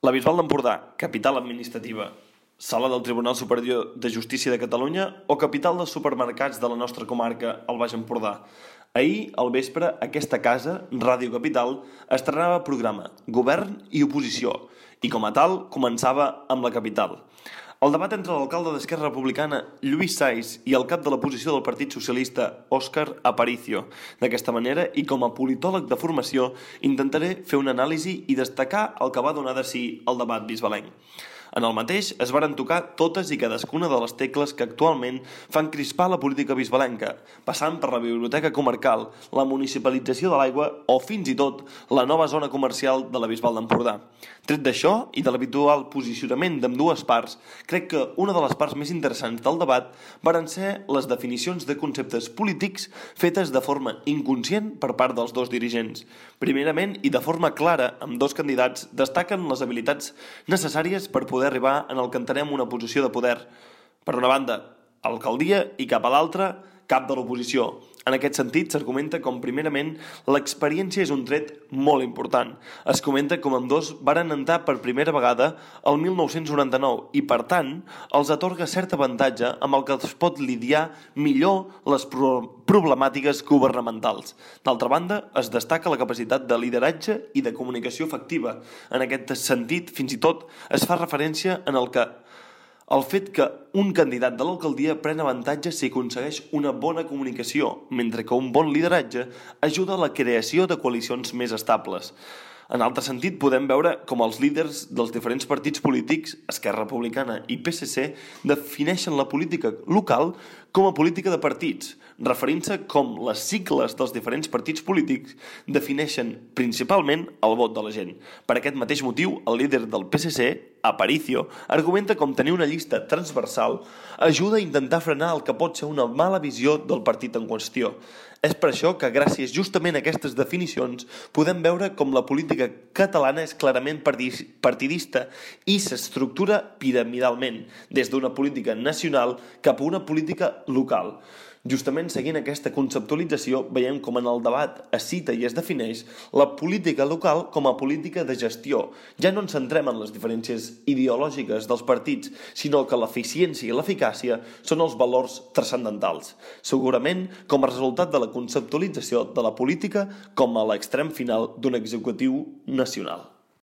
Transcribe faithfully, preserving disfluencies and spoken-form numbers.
La Bisbal d'Empordà, capital administrativa, sala del Tribunal Superior de Justícia de Catalunya o capital dels supermercats de la nostra comarca, el Baix Empordà. Ahir, al vespre, aquesta casa, Ràdio Capital, estrenava programa Govern i Oposició i, com a tal, començava amb la capital. El debat entre l'alcalde d'Esquerra Republicana, Lluís Sais, i el cap de l'oposició del Partit Socialista, Òscar Aparicio. D'aquesta manera, i com a politòleg de formació, intentaré fer una anàlisi i destacar el que va donar de si el debat bisbalenc. En el mateix es varen tocar totes i cadascuna de les tecles que actualment fan crispar la política bisbalenca, passant per la biblioteca comarcal, la municipalització de l'aigua o, fins i tot, la nova zona comercial de la Bisbal d'Empordà. Tret d'això i de l'habitual posicionament d'ambdues parts, crec que una de les parts més interessants del debat varen ser les definicions de conceptes polítics fetes de forma inconscient per part dels dos dirigents. Primerament, i de forma clara, amb dos candidats destaquen les habilitats necessàries per poder poder arribar en el que entenem una posició de poder. Per una banda, alcaldia i cap a l'altra, cap de l'oposició. En aquest sentit, s'argumenta com, primerament, l'experiència és un tret molt important. Es comenta com ambdós varen entrar per primera vegada el mil nou-cents noranta-nou i, per tant, els atorga cert avantatge amb el que es pot lidiar millor les pro- problemàtiques governamentals. D'altra banda, es destaca la capacitat de lideratge i de comunicació efectiva. En aquest sentit, fins i tot, es fa referència en el que el fet que un candidat de l'alcaldia pren avantatge si aconsegueix una bona comunicació, mentre que un bon lideratge ajuda a la creació de coalicions més estables. En altre sentit, podem veure com els líders dels diferents partits polítics, Esquerra Republicana i P S C, defineixen la política local com a política de partits, referint-se com les sigles dels diferents partits polítics defineixen principalment el vot de la gent. Per aquest mateix motiu, el líder del P S C, Aparicio, argumenta com tenir una llista transversal ajuda a intentar frenar el que pot ser una mala visió del partit en qüestió. És per això que, gràcies justament a aquestes definicions, podem veure com la política catalana és clarament partidista i s'estructura piramidalment, des d'una política nacional cap a una política local. Justament seguint aquesta conceptualització, veiem com en el debat es cita i es defineix la política local com a política de gestió. Ja no ens centrem en les diferències ideològiques dels partits, sinó que l'eficiència i l'eficàcia són els valors transcendentals. Segurament com a resultat de la conceptualització de la política com a l'extrem final d'un executiu nacional.